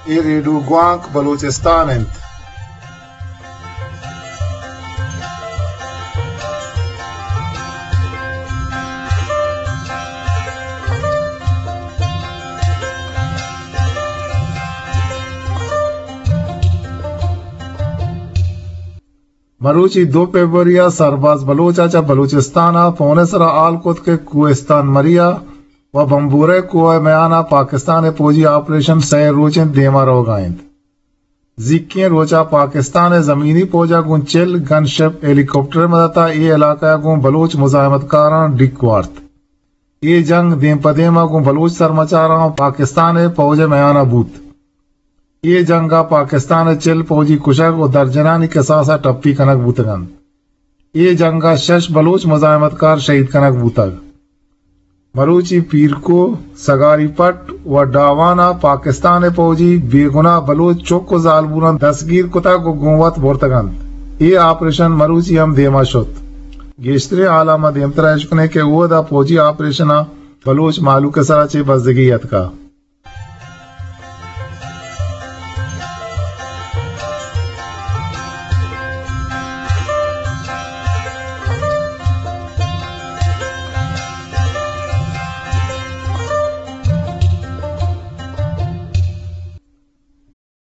اے ریڈیو گوانک بلوچستان انت۔ مروچی دو فیبروری ءَ سرباز بلوچ ءَ چہ بلوچستان ءَ فون ءِ سرا ہال کت کہ کوہستان مری ءَ و بمبورہ کوہ ءِ میان ءَ پاکستان ءِ پوجی آپریشن سئے روچ انت دیما روگا انت۔ زیکیں روچ ءَ پاکستان ءِ زمینی پوج ءَ گوں چل گن شپ ہیلی کاپٹر ءِ مدت ءَ اے علاقہ ءَ گوں بلوچ مزاحمت کاراں ڈیک وارت۔ اے جنگ دیم پہ دیم ءَ گوں بلوچ سرمچاراں و پاکستان ءِ پوج ءِ میان ءَ بوت۔ اے جنگ ءَ پاکستان ءِ چل پوجی کشگ و درجنانی کساس ءَ ٹپی کنگ بوتگ انت۔ اے جنگ ءَ شش بلوچ مزاحمت کار شہید کنگ بوتگ۔ مروچی پیرکو، سگاری پٹ و ڈاوان ءَ پاکستان ءِ پوجی بے گناہ بلوچ چک و زالبولاں دستگیر کتگ و گوں وت برتگ انت۔ اے آپریشن مروچی ہم دیما شت۔ گیشتریں ہالاں ما دیمترا اش کنیں کہ اودا پوجی آپریشن ءَ بلوچ مہلوک ءِ سرا چے بزگی اتکا۔